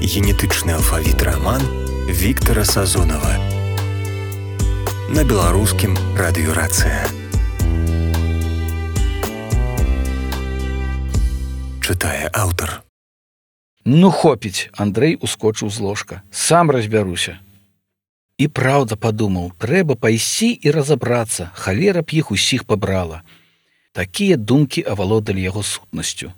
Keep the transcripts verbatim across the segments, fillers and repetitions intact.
Генетычны алфавіт раман Віктара Сазонава на беларускім радыёрацыя. Чытае аўтар. Ну хопіць, Андрэй ускочыў з ложка. Сам разбяруся. І праўда падумаў, трэба пайсці і разабрацца, халера б іх усіх пабрала. Такія думкі авалодалі яго сутнасцю.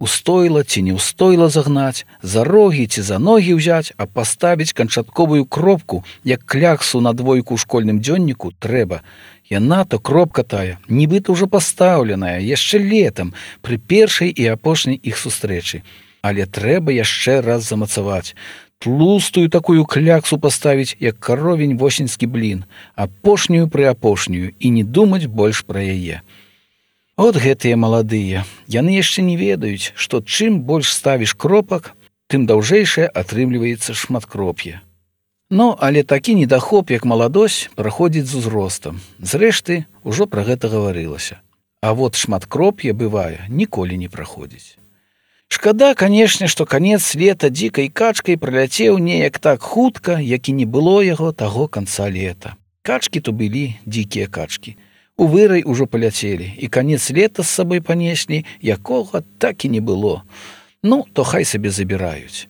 Устойла ці не устойла загнаць, за рогі ці за ногі ўзяць, а паставіць канчатковую кропку, як кляксу на двойку ў школьным дзённіку, трэба. Яна то кропка тая, нібыта ўжо пастаўленая, яшчэ летам, пры першай і апошняй іх сустрэчы. Але трэба яшчэ раз замацаваць. Тлустую такую кляксу паставіць, як каровень восеньскі блін, апошнюю пры апошнюю і не думаць больш пра яе. От гэтыя маладыя, яны яшчэ не ведаюць, што чым больш ставіш кропак, тым даўжэйшае атрымліваецца шматкроп'е. Ну, але такі недахоп, як маладосць, праходзіць з узростам. Зрэшты, ужо пра гэта гаварылася. А вот шматкроп'е, бывае, ніколі не праходзіць. Шкада, канешне, што канец лета дзікай качкай праляцеў неяк так хутка, як і не было яго таго канца лета. Качкі то былі дзікія качкі. У вырай ужо паляцелі, і канец лета з сабой панеслі, якога так і не было. Ну, то хай сабе забіраюць.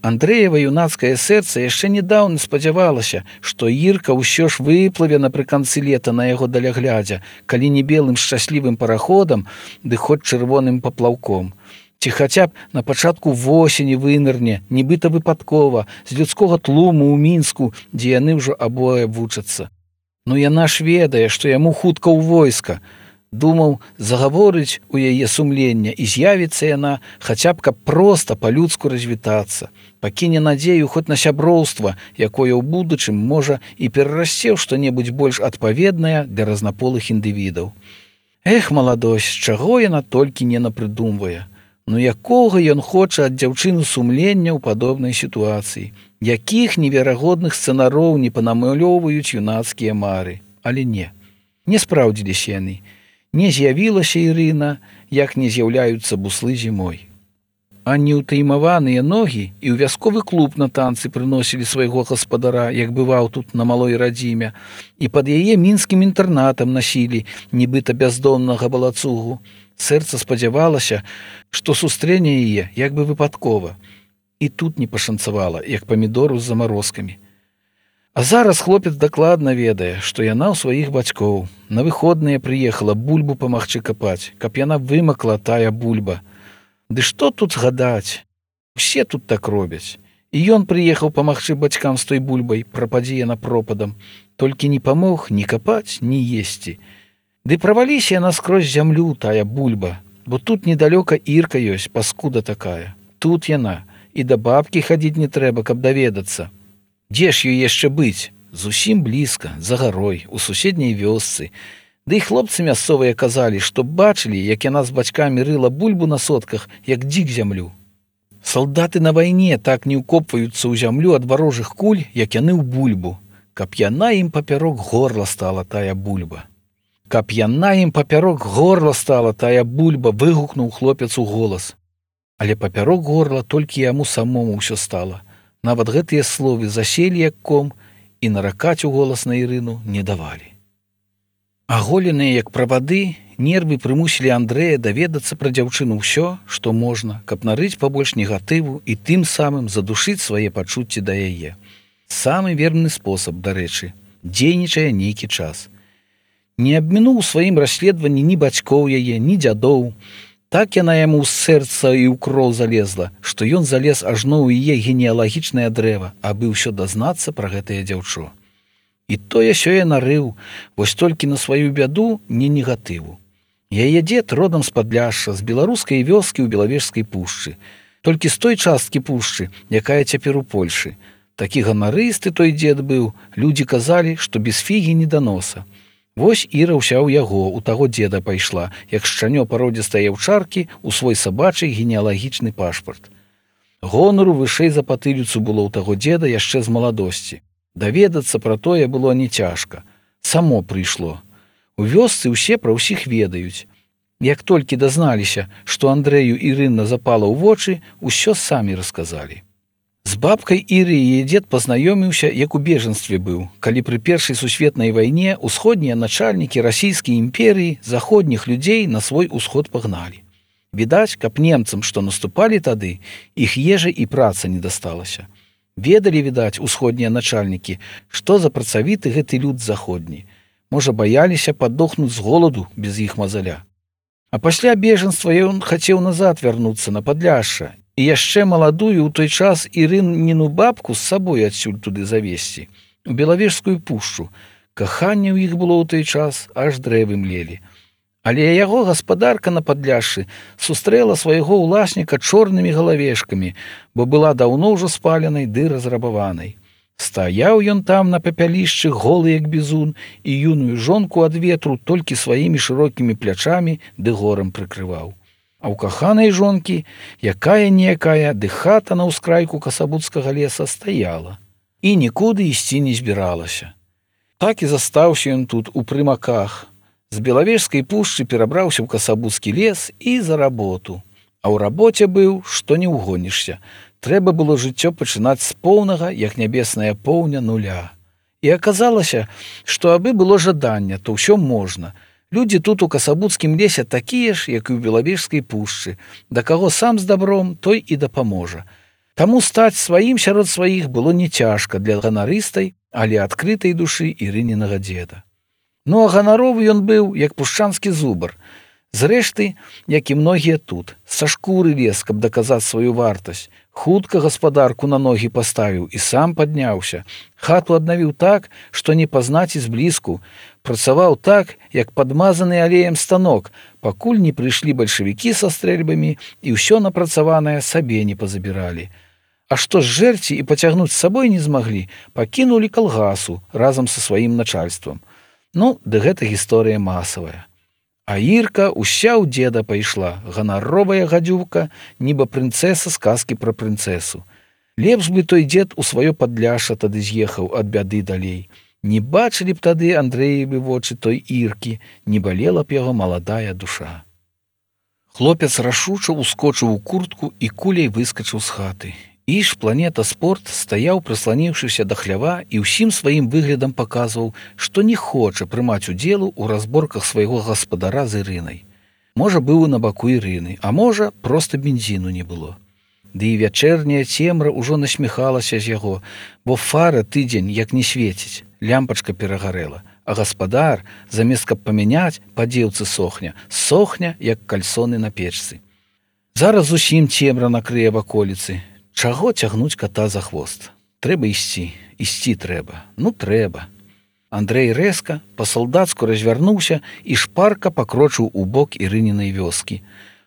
Андрэева юнацкае сэрца яшчэ недаўна спадзявалася, што Ірка ўсё ж выплыве напрыканцы лета на яго даляглядзя, калі не белым шчаслівым параходам, ды хоць чырвоным паплаўком. Ці хаця б на пачатку восені вынырне, нібыта выпадкова, з людскога тлуму ў Мінску, дзе яны ўжо абое вучацца. Ну яна ж ведае, што яму хутка ў войска. Думаў, загаворыць у яе сумлення, і з'явіцца яна, хаця б каб проста па-людску развітацца. Пакіне надзею хоць на сяброўства, якое ў будучым можа і перарасце ў што-небудзь больш адпаведнае для разнаполых індывідаў. Эх, маладосць, чаго яна толькі не напрыдумвае. Ну якога ён хоча ад дзяўчыны сумлення ў падобнай сітуацыі? Якіх неверагодных сцэнароў не панамалёўваюць юнацкія мары? Але не, не спраўдзіліся яны. Не з'явілася Ірына, як не з'яўляюцца буслы зімой. А неўтаймаваныя ногі і ў вясковы клуб на танцы прыносілі свайго гаспадара, як бываў тут на малой радзіме, і пад яе мінскім інтэрнатам насілі, нібыта бяздомнага балацугу. Сэрца спадзявалася, што сустрэне яе як бы выпадкова. І тут не пашанцавала, як памідору з замарозкамі. А зараз хлопец дакладна ведае, што яна ў сваіх бацькоў. На выходныя прыехала бульбу памагчы капаць, каб яна вымакла тая бульба. Ды што тут згадаць? Усе тут так робяць. І ён прыехаў памагчы бацькам з той бульбай, прападзе яна пропадам. Толькі не памог ні капаць, ні есці. Ды праваліся яна скрозь зямлю, тая бульба, бо тут недалёка Ірка ёсць, паскуда такая. Тут яна, і да бабкі хадзіць не трэба, каб даведацца. Дзе ж ёй яшчэ быць? Зусім блізка, за гарой, у суседняй вёсцы. Ды і хлопцы мясцовыя казалі, што бачылі, як яна з бацькамі рыла бульбу на сотках, як дзік зямлю. Салдаты на вайне так не ўкопваюцца ў зямлю ад варожых куль, як яны ў бульбу. Каб яна ім папярок горла стала тая бульба. Каб яна ім папярок горла стала тая бульба, выгукнуў хлопец у голас. Але папярок горла толькі яму самому ўсё стала. Нават гэтыя словы заселі як ком і наракаць у голас на Ірыну не давалі. Аголеныя як правады, нервы прымусілі Андрэя даведацца пра дзяўчыну ўсё, што можна, каб нарыць пабольш негатыву і тым самым задушыць свае пачуцці да яе. Самы верны спосаб, дарэчы, дзейнічае нейкі час. Не абмінуў у сваім расследаванні ні бацькоў яе, ні дзядоў. Так яна яму з сэрца і ў кроў залезла, што ён залез ажно ў яе генеалагічнае дрэва, абы ўсё дазнацца пра гэтае дзяўчо. І тое сёе нарыў, вось толькі на сваю бяду не негатыву. Яе дзед родам з Падляшша, з беларускай вёскі ў Белавежскай пушчы, толькі з той часткі пушчы, якая цяпер у Польшы. Такі ганарысты той дзед быў, людзі казалі, што без фігі не да носа. Вось Іра ўся ў яго, у таго дзеда пайшла, як шчанё пародзістай яўчаркі ў свой сабачый генеалагічны пашпарт. Гонару вышэй за патыліцу было ў таго дзеда яшчэ з маладосці. Даведацца пра тое было не цяжка. Само прыйшло. У вёсцы ўсе пра ўсіх ведаюць. Як толькі дазналіся, што Андрэю Ірына запала ў вочы, усё самі расказалі. З бабкай Іры яе дзед пазнаёміўся, як у бежанстве быў, калі пры першай сусветнай вайне ўсходнія начальнікі расійскай імперыі заходніх людзей на свой усход пагналі. Відаць, каб немцам, што наступалі тады, іх ежа і праца не дасталася. Ведалі, відаць, усходнія начальнікі, што за працавіты гэты люд заходні. Можа, баяліся падохнуць з голаду без іх мазаля. А пасля бежанства ён хацеў назад вярнуцца на Падляшша, і яшчэ маладую ў той час Ірыніну бабку з сабой адсюль туды завесці, у Белавежскую пушчу. Каханне ў іх было ў той час, аж дрэвы млелі. Але яго гаспадарка на Падляшшы сустрэла свайго ўласніка чорнымі галавешкамі, бо была даўно ўжо спаленай ды разрабаванай. Стаяў ён там на папялішчы, голы як бізун, і юную жонку ад ветру толькі сваімі шырокімі плячамі ды горам прыкрываў. А ў каханай жонкі, якая-ніякая, ды хата на ўскрайку касабуцкага леса стаяла. І нікуды ісці не збіралася. Так і застаўся ён тут, у прымаках. З Белавежскай пушчы перабраўся ў касабуцкі лес і за работу. А ў рабоце быў, што не ўгонішся. Трэба было жыццё пачынаць з поўнага, як нябесная поўня, нуля. І аказалася, што абы было жаданне, то ўсё можна. Людзі тут у касабуцкім лесе такія ж, як і ў Белавежскай пушчы, да каго сам з дабром, той і дапаможа. Таму стаць сваім сярод сваіх было не цяжка для ганарыстай, але адкрытай душы Ірынінага дзеда. Ну а ганаровы ён быў, як пушчанскі зубар. Зрэшты, як і многія тут, са шкуры лез, каб даказаць сваю вартасць. Хутка гаспадарку на ногі паставіў і сам падняўся. Хату аднавіў так, што не пазнаць і зблізку. Працаваў так, як падмазаны алеем станок, пакуль не прыйшлі бальшавікі са стрэльбамі і ўсё напрацаванае сабе не пазабіралі. А што ж жэрці і пацягнуць з сабой не змаглі, пакінулі калгасу разам са сваім начальствам. Ну, ды гэта гісторыя масавая. А Ірка ўся ў дзеда пайшла, ганаровая гадзюка, нібы прынцэса з казкі пра прынцэсу. Лепш бы той дзед у сваё Падляшша тады з'ехаў ад бяды далей. Не бачылі б тады Андрэевы вочы той Іркі, не балела б яго маладая душа. Хлопец рашуча ускочыў у куртку і куляй выскачыў з хаты. Іж планета спорт стаяў, прысланіўшыся да хлява, і ўсім сваім выглядам паказваў, што не хоча прымаць удзелу ў разборках свайго гаспадара з Ірынай. Можа, быў на баку Ірыны, а можа, проста бензіну не было. Ды і вячэрняя цемра ўжо насміхалася з яго, бо фара тыдзень як не свеціць, лямпачка перагарэла, а гаспадар, замест каб памяняць, па дзеўцы сохня, сохня, як кальсоны на печцы. Зараз зусім цемра накрые ваколіцы. Чаго цягнуць ката за хвост? Трэба ісці, ісці трэба, ну трэба. Андрэй рэзка, па-салдацку развярнуўся і шпарка пакрочыў у бок Ірынінай вёскі.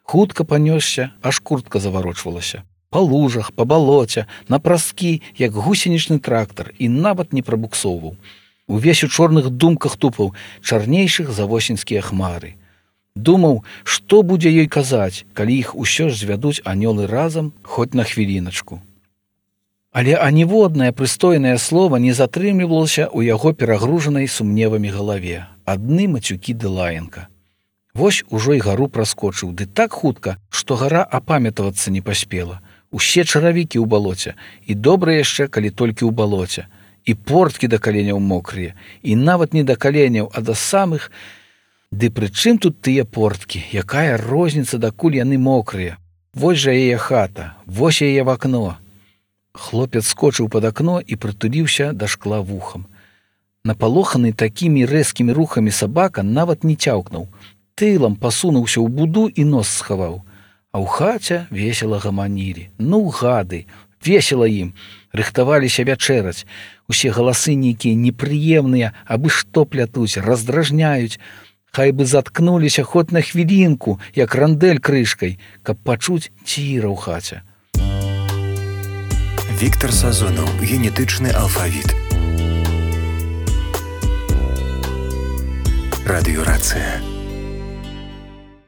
Хутка панёсся, аж куртка заварочвалася. Па лужах, па балоце, на праскі, як гусенічны трактар, і нават не прабуксоўваў. Увесь у чорных думках тупаў, чарнейшых за восеньскія хмары. Думаў, што будзе ёй казаць, калі іх усё ж звядуць анёлы разам, хоць на хвіліначку. Але аніводнае прыстойнае слова не затрымлівалася ў яго перагружанай сумневамі галаве. Адны мацюкі ды лаянка. Вось ужо і гару праскочыў, ды так хутка, што гара апамятавацца не паспела. Усе чаравікі ў балоце, і добра яшчэ, калі толькі ў балоце. І порткі да каленяў мокрыя, і нават не да каленяў, а да самых... Ды пры чым тут тыя порткі? Якая розніца, дакуль яны мокрыя? Вось жа яе хата, вось яе в акно. Хлопец скочыў пад акно і прытуліўся да шкла вухам. Напалоханы такімі рэзкімі рухамі сабака нават не цяўкнуў. Тылам пасунуўся ў буду і нос схаваў. А ў хаце весела гаманілі. Ну, гады, весела ім. Рыхтаваліся вячэраць. Усе галасы нейкія непрыемныя, абы што плятуць, раздражняюць. Хай бы заткнуліся хоць на хвілінку, як рандэль крышкай, каб пачуць ціра ў хаце. Віктар Сазонаў. Генетычны алфавіт. Радыёрацыя.